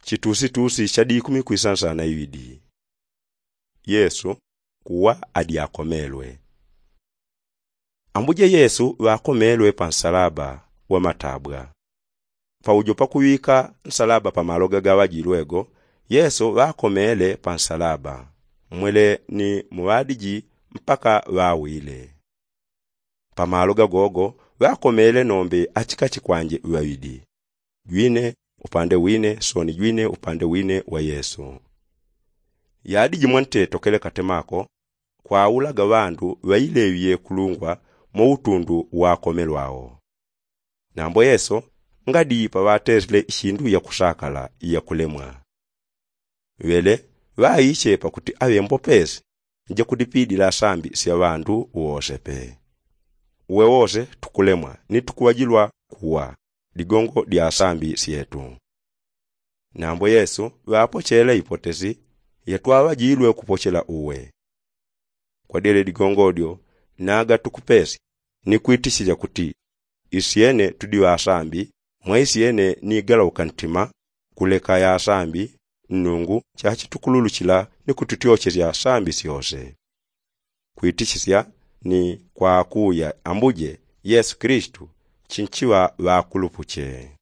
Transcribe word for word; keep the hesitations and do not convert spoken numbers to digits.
Chitusitusi cha dikumi kwisansana iwidi. Yesu kuwa adyakomelwe. Ambuje yesu ŵakomelwe pa nsalaba wa matabwa. Paujo pakuŵika nsalaba pamaloga gaŵajilwego, yesu ŵakomele pa nsalaba, mwele ni muŵadiji mpaka ŵawile. Pamaloga gogo ŵakomele nombe achikachi kwanje ŵaŵidi, jwine upande wine soni jwine upande wine wa yesu. Yadi jimwe ntetokele katemako kwaulaga ŵandu ŵaileŵye kulungwa mo utundu wakomelwao. Nambo yesu ngadi paŵatesile ishindu yakusakala yakulemwa. Ŵele ŵaiche pakuti aŵembopesi njakudipidila sambi sya ŵandu wose pe. Uwe wose tukulemwa ni tukuŵajilwa kuwa ligongo lya sambi syetu. Nambo yesu ŵapochele ipotesi yatwaŵajilwe kupochela uwe. Kwadyele ligongo lyo naga tukupesya ni kwitisisya kuti isyene tudi ŵasambi, mwa isyene ni galauka ntima kuleka yasambi nnungu chachitukululusila ni kututyochesya sambi syose. Kwitisisya ni kwakuya ambuje yesu kilisitu chinchiŵa ŵakulupuche.